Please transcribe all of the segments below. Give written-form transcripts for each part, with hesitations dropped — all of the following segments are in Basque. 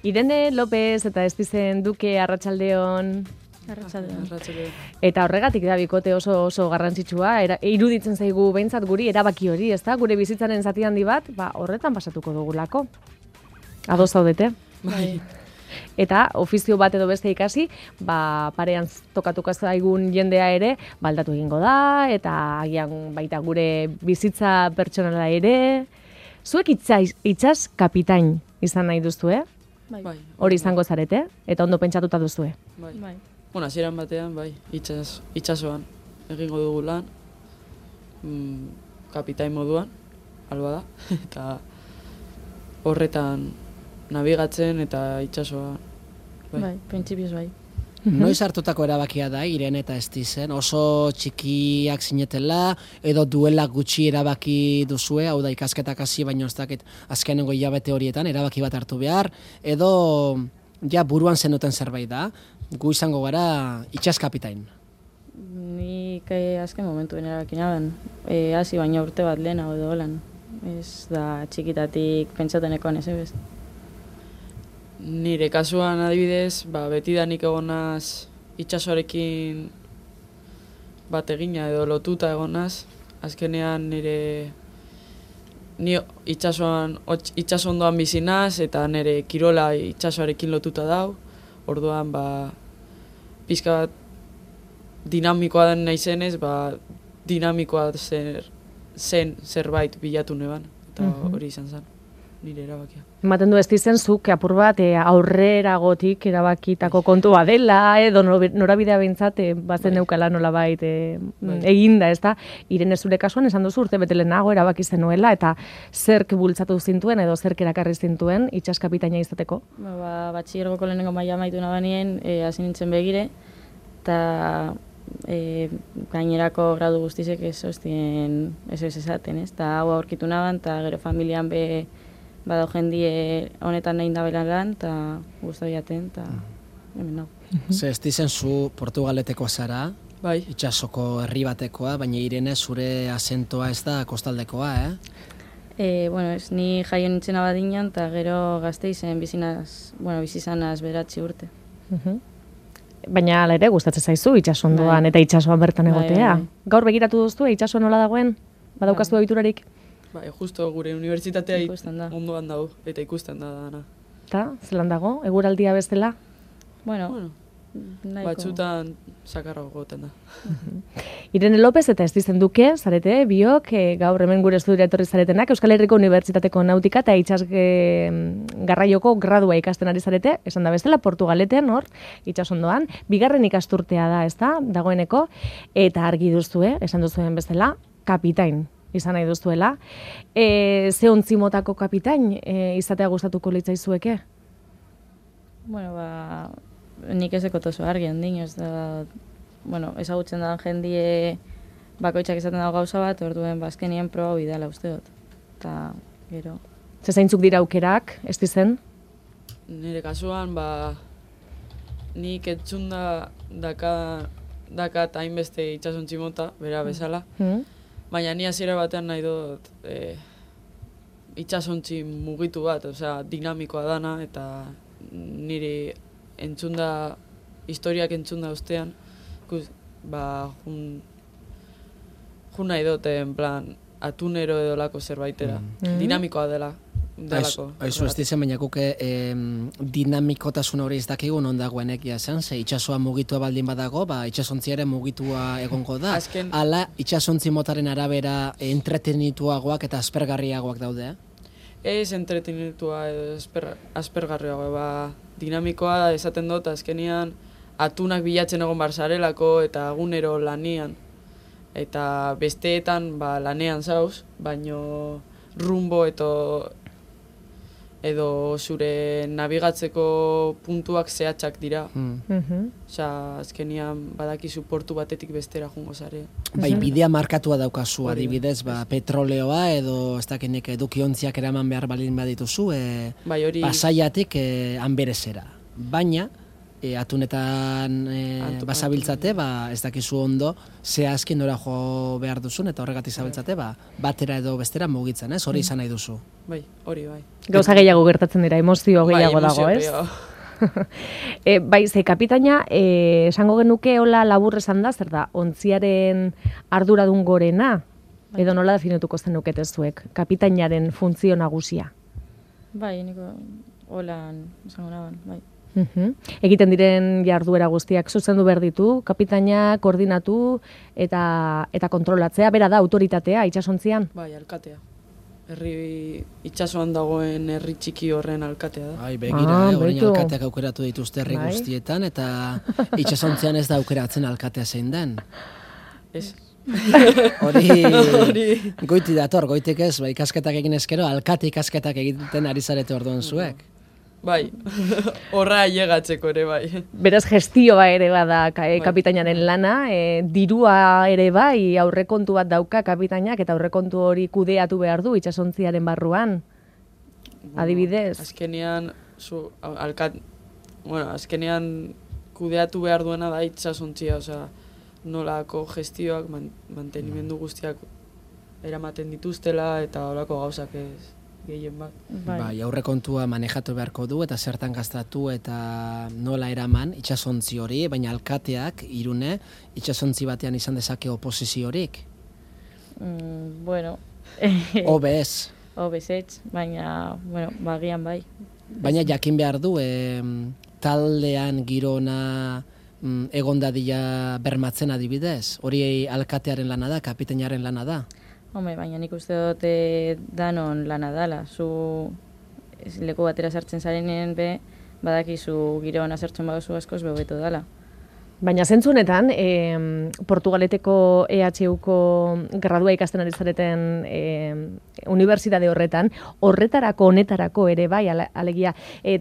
Irene López eta Estizen Duke Arratsaldeon. Arratsaldeon. Eta horregatik da bikote oso garrantzitsua, iruditzen zaigu behintzat guri erabaki hori, ezta? Gure bizitzaren zati handi bat, horretan pasatuko dugulako. Ados zaudete? Bai. Eta ofizio bat edo beste ikasi, parean tokatuko zaigun jendea ere, baldatu egingo da, eta agian baita gure bizitza pertsonala ere. Zuek itsas kapitain izan nahi duzue? Bai. Hori izango zarete, eta ondo pentsatuta duzue. Bai. Bueno, hasieran batean, bai, itsasoan egingo dugu lan, kapitain moduan, alba da, eta horretan nabigatzen eta itsasoa. Bai, printzipioz bai. Noiz hartutako erabakia da, Irene eta Estizen, oso txikiak zinetela, edo duela gutxi erabaki duzue, hau da ikasketak hasi baino ez dakit azkenengo hilabete horietan, erabaki bat hartu behar, edo ja buruan zenuten zerbait da, gu izango gara itsas kapitain. Nik azken momentuen erabaki naben, hasi baina urte bat lehena edo holan, ez da txikitatik pentsateneko ez. Nire kasuan adibidez, beti da nik egonaz itsasoarekin bat egina edo lotuta egonaz. Azkenean ni itsasondoan bizinaz eta nire kirola itsasoarekin lotuta dau. Orduan pizka bat dinamikoa den naizenez, dinamikoa zen zerbait bilatu neban eta hori izan zen. Nire erabakia. Ematen du Estizen zuk apur bat aurreragotik erabakitako kontua dela, edo norabidea behintzat bazen neukala nolabait eginda, ez da? Irene zure kasuan esan duzu urte bete lehenago erabaki zenuela, eta zerk bultzatu zintuen edo zerk erakarri zintuen itsas kapitaina izateko? Batxilergoko lehenengo maila amaitu nabanien, hasi nintzen begire, eta gainerako gradu guztizek ez esaten, ez? Eta hau aurkitu naban, eta gero familian bado jendie honetan nahi dabelan lan, eta guztu jaten, eta hemen nau. Ze Estizen zu Portugaleteko zara, bai. Itsasoko herri batekoa, baina Irene zure azentoa ez da kostaldekoa, Bueno, ez ni jaio nintzen abadinan, eta gero Gasteizen bizizanaz beratzi urte. Baina hala ere gustatzen zaizu itsasondoan eta itsasoan bertan egotea. Bai. Gaur begiratu duzu itsasoa nola dagoen? Badaukaztu ohiturarik? Bai, justo gure unibertsitatea ondoan dago, eta ikusten da dana. Eta, zelan dago? Eguraldia bezala? Bueno, batzutan sakarra gogoten da. Irene López eta Estizen Duke, zarete, biok, gaur hemen gure estudiora etorri zaretenak, Euskal Herriko Unibertsitateko Nautika eta itsas garraioko gradua ikasten ari zarete, esan da bezala, Portugaletean, hor, itsasondoan, bigarren ikasturtea da, ez da, dagoeneko, eta argi duzue, esan duzuen bezala, kapitain izan nahi duztuela. Ze ontzi motako kapitain izatea gustatuko litzaizueke? Bueno, nik ez dekot oso argi handin, ez da, ezagutzen da jendie bakoitzak izaten dago gauza bat, orduen azkenien proba bidala uste dut. Eta, gero. Ze zeintzuk dira aukerak, Estizen? Nire kasuan, nik entzun dakat hainbeste itsasontzi mota, bera bezala. Baina ni hasiera batean nahi dut itsasontzi mugitu bat, osea, dinamikoa dana, eta niri historiak entzunda ostean, jun nahi dut, en plan, atunero edo lako zerbaitera. Dinamikoa delako. Aizu Estizen, baina guke dinamikotasun hori ez dakigu non dagoen egia zen, ze itsasoa mugitua baldin badago, itsasontzi ere mugitua egongo da. Hala, itsasontzi motaren arabera entretenituagoak eta aspergarriagoak daude, Ez entretenitua edo aspergarriagoa, dinamikoa esaten dut, azkenian atunak bilatzen egon barzarelako eta egunero lanian. Eta besteetan lanean zauz, baino rumbo edo zure nabigatzeko puntuak zehatzak dira. Osea, azkenian badakizu portu batetik bestera jungo zare. Bai, bidea markatua daukazu, adibidez, petroleoa edo ez dakinek edukiontziak eraman behar balin badituzu, pasaiatik Anberezera. Baina, atunetan basabiltzate, ez dakizu ondo, zehazki nora jo behar duzun, eta horregatik zabiltzate, batera edo bestera mugitzen, ez? Hori izan nahi duzu. Bai, hori, bai. Gauza gehiago gertatzen dira, emozio gehiago dago, ez? Bai, ze kapitaina, esango genuke hola labur esan da, zer da, ontziaren arduradun gorena, edo nola definituko zenukete zuek, kapitainaren funtzio nagusia? Bai, niko holan esango naban, bai. Egiten diren jarduera guztiak zuzendu behar ditu, kapitaina koordinatu eta kontrolatzea, bera da autoritatea itsasontzian? Bai, alkatea. Itsasoan dagoen herri txiki horren alkatea da. Bai, begira, orain alkateak aukeratu dituzte herri guztietan, eta itsasontzian ez da aukeratzen alkatea zein den. Ez. Hori goiti dator, goitik ez, ikasketak egin ezkero, alkate ikasketak egiten ari zarete orduan zuek. Bai, horra llegatzeko ere bai. Beraz, gestioa ere bada kapitainaren lana, dirua ere bai, aurrekontu bat dauka kapitainak, eta aurrekontu hori kudeatu behar du itsasontziaren barruan, adibidez. Azkenean, azkenean kudeatu behar duena da itsasontzia, osea, nolako gestioak, mantenimendu guztiak eramaten dituztela, eta holako gauzak ez. Bai, aurrekontua manejatu beharko du eta zertan gastatu eta nola eraman itsasontzi hori, baina alkateak Irune itsasontzi batean izan dezake oposiziorik. Bueno, Obez. Obez, baina, bueno, bagian bai. Baina jakin behar du, taldean girona egon dadila bermatzen adibidez. Hori alkatearen lana da, kapitainaren lana da. Home, baina nik uste dute danon lana dala. Zu leku batera sartzen zarenean badakizu giro hona sartzen baduzu askoz bebeto dala. Baina zentzunetan, Portugaleteko EHUko gradua ikasten ari zareten unibertsitate horretarako, honetarako ere bai, alegia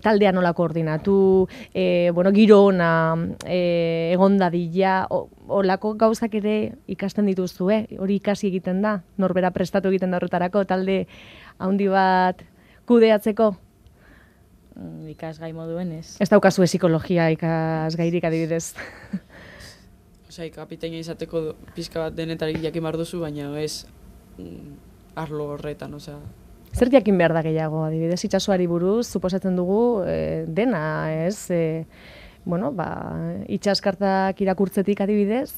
taldea nola koordinatu, giro ona egon dadila, olako gauzak ere ikasten dituzue, hori ikasi egiten da, norbera prestatu egiten da horretarako, talde handi bat kudeatzeko? Ikasgai moduen ez. Ez daukazue psikologia ikasgairik adibidez. Osea, kapitaina izateko pizka bat denetarik jakin behar duzu, baina ez arlo horretan, osea. Zer jakin behar da gehiago adibidez, itsasoari buruz, suposatzen dugu dena, ez? Itsaskartak irakurtzetik adibidez,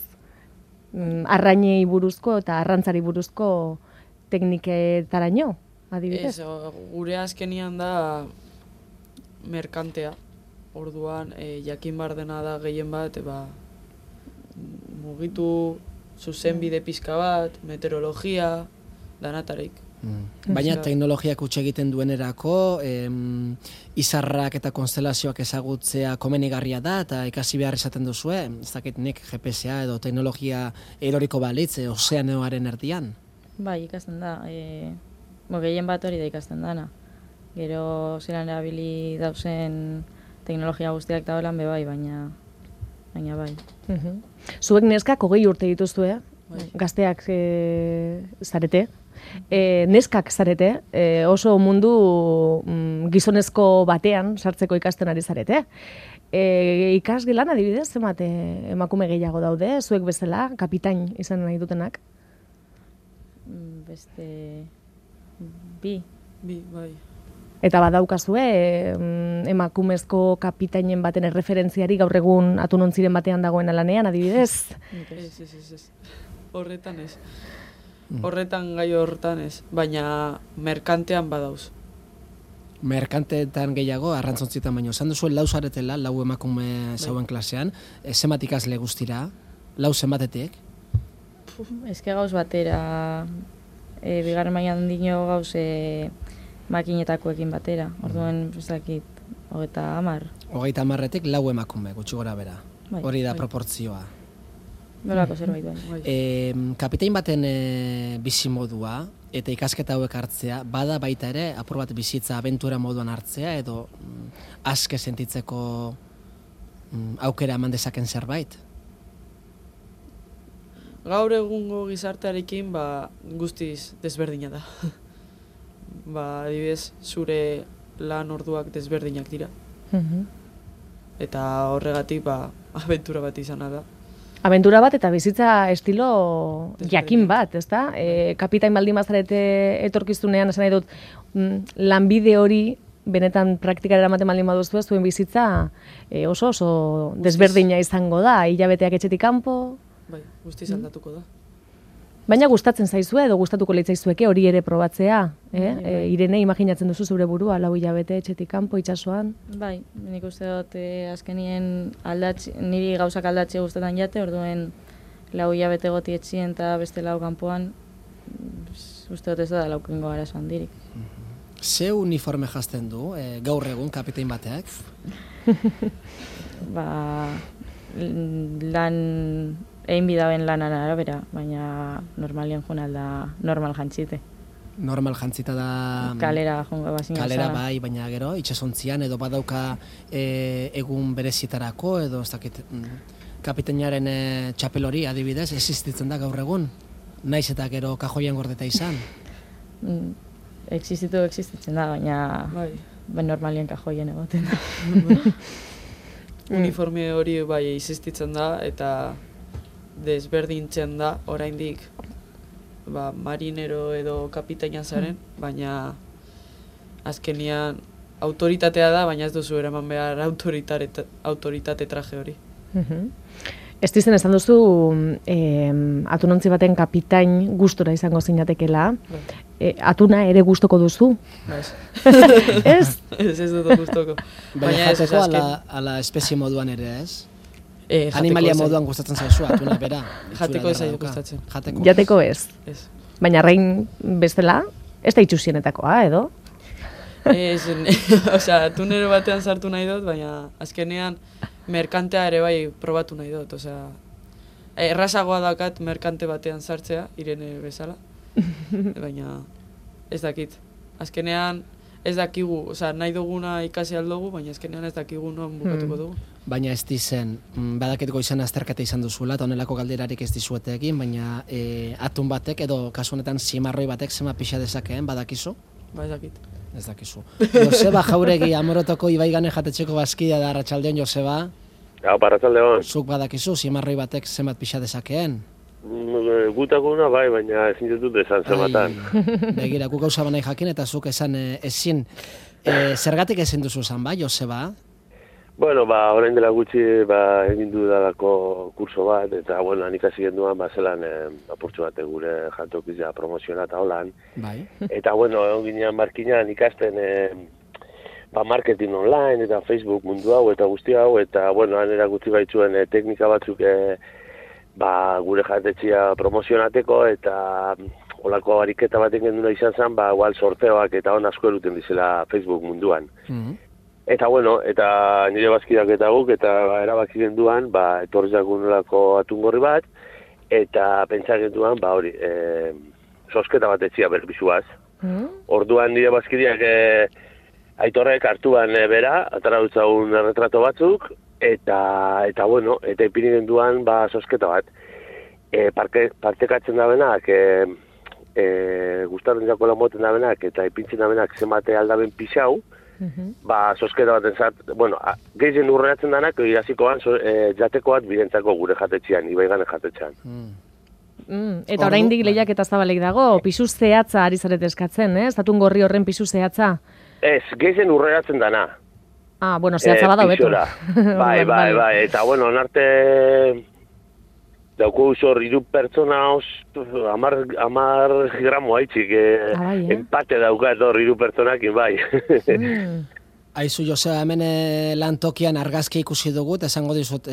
arrainei buruzko eta arrantzari buruzko tekniketaraino, adibidez? Ez, gure azkenian da merkantea. Orduan, jakin behar dena da gehien bat, mugitu zuzenbide pizka bat, meteorologia, danatarik. Baina teknologiak utxe egiten duenerako, izarrak eta konstelazioak ezagutzea komenigarria da, eta ikasi behar izaten duzue, ez dakit nik GPS-a edo teknologia eroriko balitz, ozeanoaren erdian? Bai, ikasten da. Gehien bat hori da ikasten dana. Gero zelan erabili dauzen teknologia guztiak da holan bai, baina bai. Zuek neskak 20 urte dituzue, gazteak zarete, neskak zarete, oso mundu gizonezko batean sartzeko ikasten ari zarete. Ikasgelan adibidez, zenbat emakume gehiago daude, zuek bezala, kapitain izan nahi dutenak? Beste bi, bai. Eta badaukazue, emakumezko kapitainen baten erreferentziari gaur egun atunontziren batean dagoen lanean, adibidez? Ez. Horretan ez. Horretan gai horretan ez, baina merkantean badauz. Merkanteetan gehiago, arrantzontzietan baino. Esan duzuen lau zaretela, lau emakume zauen klasean, zenbat ikasle guztira, lau zenbatetik? Ezke gauz batera, bigarren mailan dino gauz makinetakoekin batera. Orduan, ez dakit, 30. 30etik lau emakume, gutxi gora bera. Hori da proportzioa. Berako zerbait bai. Kapitain baten bizimodua eta ikasketa hauek hartzea, bada baita ere, apur bat bizitza abentura moduan hartzea, edo aske sentitzeko aukera eman dezaken zerbait? Gaur egungo gizartearekin guztiz desberdina da. Adibidez, zure lan orduak desberdinak dira. eta horregatik abentura bat izana da. Abentura bat eta bizitza estilo jakin bat, ezta? Kapitain baldin bazarete etorkizunean, esan nahi dut, lanbide hori benetan praktikara eramaten baldin baduzue, zuen bizitza oso desberdina izango da, hilabeteak etxetik kanpo. Bai, guztiz aldatuko da. Baina gustatzen zaizue edo gustatuko litzaizueke hori ere probatzea, Irene, imaginatzen duzu zure burua, 4 hilabete etxetik kanpo itsasoan? Bai, nik uste dut azkenien niri gauzak aldatxe gustatzen jate, orduen 4 hilabete goti etxien eta beste 4 kanpoan, uste dut ez da laukengo arazo handirik. Ze uniforme jazten du, gaur egun kapitain bateak? Egin bidaben lanan arabera, baina normalien joan alda normal jantzite. Normal jantzita da... Kalera joan bazin Kalera bai, baina gero, itxasontzian edo badauka egun berezietarako edo ez dakit kapitainaren txapel hori adibidez, existitzen da gaur egun? Naiz eta gero kajoian gordeta izan? Existitzen da, baina normalien kajoien egoten da. Uniforme hori bai existitzen da eta desberdintzen da oraindik marinero edo kapitaina zaren, baina azkenian autoritatea da, baina ez duzu eraman behar autoritate traje hori. Estizen esan duzu atunontzi baten kapitain gustora izango zinatekela. Atuna ere gustoko duzu? Ez? Ez dut gustoko. Baina jateko ala espezie moduan ere ez? Animalia moduan gustatzen zaizu atuna bera? Jateko ez zaio gustatzen. Jateko ez? Ez. Baina arrain bestela, ez da itxusienetakoa, edo? Osea, atunero batean sartu nahi dut, baina azkenean merkantea ere bai probatu nahi dut. Osea, errazagoa dakat merkante batean sartzea, Irene bezala, baina ez dakit. Azkenean ez dakigu, osea, nahi duguna ikasi aldugu, baina azkenean ez dakigu non bukatuko dugu. Baina ez dizen, badaketiko izan azterketa izan duzula, eta honelako galderarik ez dizuete egin, baina atun batek edo kasu honetan zimarroi batek zema pixa dezakeen, badakizu? Ba, ez dakit. Ez dakizu. Joseba Jauregi, Amorotoko Ibaigane jatetxeko bazkidea da, arratsaldeon, Joseba? Hau, arratsaldeon. Zuk badakizu, zimarroi batek zenbat pixa dezakeen? Gutakuna bai, baina ezin dut esan zematan. Begira, gu gauza banai jakin eta zuk esan ezin. Zergatik ezin duzu esan, bai, Joseba? Bueno, orain dela gutxi egin dudalako kurso bat, eta, bueno, han ikasi genduan, zelan apurtxo bat gure jantokizia promoziona eta holan. Bai. Eta, bueno, egon ginean markinan ikasten marketing online eta Facebook mundu hau eta guzti hau, eta, bueno, han erakutsi baitzuen teknika batzuk gure jantetxia promozionateko, eta olako ariketa baten genduna izan zen, igual sorteoak eta on asko eruten dizela Facebook munduan. Eta, bueno, eta nire bazkidak eta guk, eta erabaki genduan, etorri zagunelako atungorri bat, eta pentsa genduan, hori, sosketa bat etxia berbizuaz. Orduan nire bazkideak aitorrek hartuan bera, atara dutzagun erretrato batzuk, eta bueno, eta ipini genduan, sosketa bat. Partekatzen da benak, gustaren jako lan moten da benak, eta ipintzen da benak zemate aldaben pixau, sosketa bat entzat, bueno, gehien urreatzen danak, irazikoan jateko bat birentzako gure jatetxean, Ibaigane jatetxean. Eta oraindik lehiak eta zabalek dago, pisu zehatza ari zaret eskatzen, ez? Atun gorri horren pisu zehatza? Ez, gehien urreatzen dana. Bueno, zehatza bada beto. Bai, eta bueno, onarte dauko usor 3 pertsona 10 gramo haitzik, empate daukat hor 3 pertsonakin, bai. Aizu, Joseba, hemen lantokian argazki ikusi dugu, eta esango dizut,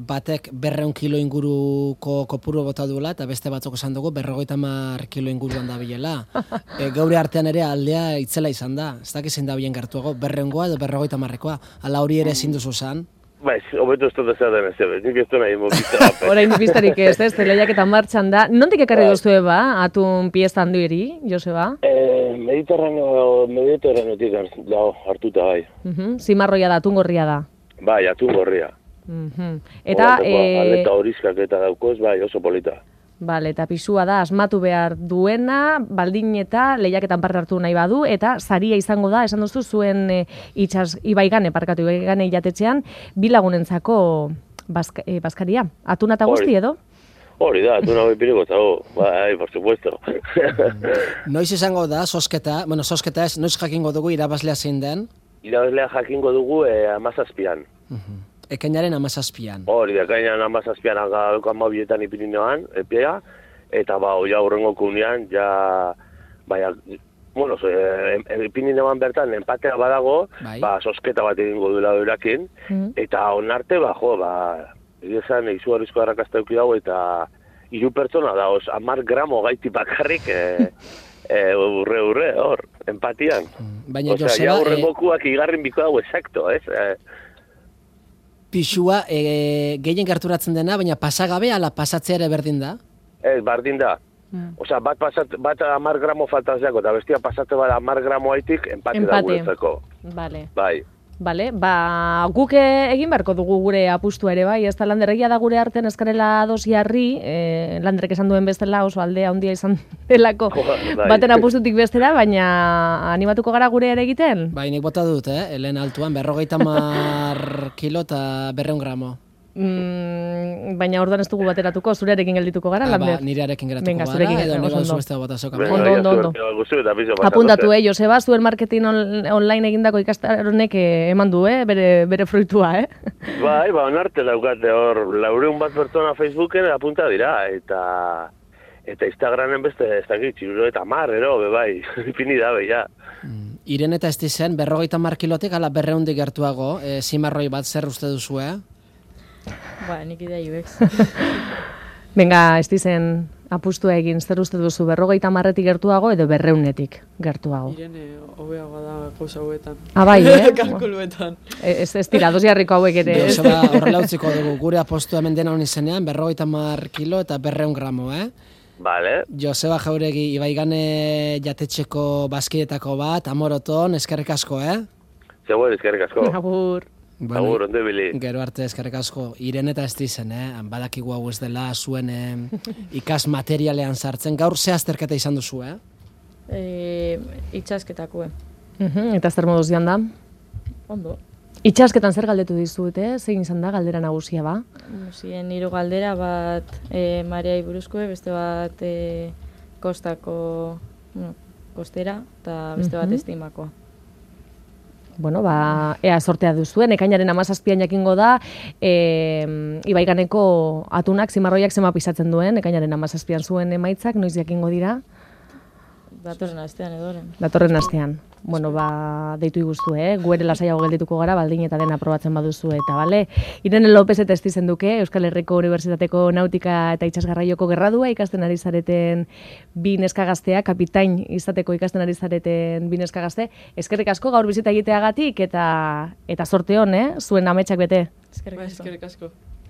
batek 200 kilo inguruko kopuru bota duela, eta beste batzuk esan dugu 50 kilo inguruan da bilela. Gauri artean ere aldea itzela izan da. Ez dakizein da bien gertuago, 200koa edo 50koa. Ala hori ere ezin duzu zan. Bai, hobeto ez dut ezaten ez ebe, nik ez du nahi mobizta. Orain biztarik ez, lehiak eta martxan da. Nondik ekarri duzue atun pieza handueri, Joseba? Mediterraneotik hartuta, bai. Zimarroia da, atun gorria da. Bai, atun gorria. Eta... Aleta horizkak eta daukoz, bai, oso polita. Bale, eta pisua da asmatu behar duena, baldin eta lehiaketan parte hartu nahi badu, eta saria izango da, esan duzu, zuen ibaigane jatetxean, bi lagunentzako bazkaria. Atuna eta guzti edo? Hori da, atuna bipiriko zago, bai, por supuesto. Noiz izango da, sosketa ez, noiz jakingo dugu irabazlea zein den? Irabazlea jakingo dugu 17an. Ekainaren 17an. Hori da, ekainaren 17an agauko 12etan ipininoan, epea, eta ja hurrengo kunean, ipininoan bertan enpatea badago, sosketa bat egingo duela eurakin, eta onarte, esan izugarrizko arrakasta eduki dago, eta 3 pertsona da, 10 gramo gaiti bakarrik, urre, hor, empatian. Baina Joseba... hurrengokuak igarrin biko dago, exacto, ez? Pixua gehien gerturatzen dena, baina pasagabe ala pasatzea ere berdin da? Ez, berdin da. Osea, bat 10 gramo faltatzeko, eta bestia pasatze bat 10 gramo haitik empate da guretzeko. Vale. Bai. Bale, guk egin beharko dugu gure apustua ere bai, ez da landerregia da gure artean eskarela dos jarri, landerrek esan duen bestela oso aldea handia izan delako baten apustutik bestera, baina animatuko gara gure ere egiten? Bai, nik bota dut, helen altuan, 50 kilo eta 200 gramo. Baina orduan ez dugu bateratuko, zurearekin geldituko gara, Lander? Nirearekin geratuko gara, edo nire zueztea bota zoka. Ondo. Apuntatu, Joseba, zuen marketing online egindako ikastaronek eman du, bere fruitua, Bai, onarte daukate hor, 400 pertsona Facebooken apunta dira, eta Instagramen beste, ez dakit, 50, bai, ipini da, ja. Irene eta Estizen, 50 kilotik ala 200 gertuago, zimarroi bat zer uste duzu, Nik idea ibex. Venga, Estizen apustua egin, zer uste duzu, 50 gertuago edo 200 gertuago? Irene, hobeagoa da gauza hauetan. Bai, Kalkuluetan. Ez tira, dos jarriko hauek ere. Joseba, horrela utziko dugu, gure apostu hemen dena honi zenean, 50 kilo eta 200 gramo, Vale. Joseba Jauregi, ibaigane jatetxeko bazkidetako bat, amoroton, eskerrik asko, Zegoen, eskerrik asko. Agur. Agur, ondo bili. Gero arte eskerrik asko. Irene eta Estizen, badakigu hau ez dela zuen ikas materialean sartzen. Gaur ze azterketa izan duzu, Itxasketako, Eta zer moduz joan da? Ondo. Itxasketan zer galdetu dizut, zein izan da galdera nagusia ba? Zien 3 galdera, bat Mariai buruzko, beste bat kostera, eta beste bat estimakoa. Bueno, ea sortea duzuen, ekainaren 17an jakingo da, ibaiganeko atunak, zimarroiak zema pisatzen duen, ekainaren 17an zuen emaitzak, noiz jakingo dira? Datorren astean edoren. Datorren astean. Bueno, deitu iguztu, gu ere lasaiago geldituko gara, baldin eta dena aprobatzen baduzu eta, bale? Irene López eta Estizen duke, Euskal Herriko Unibertsitateko Nautika eta Itsasgarraioko gradua ikasten ari zareten bi neska gaztea, kapitain izateko ikasten ari zareten bi neska gazte. Eskerrik asko gaur bizita egiteagatik eta sorte hon, zuen ametsak bete. Eskerrik asko.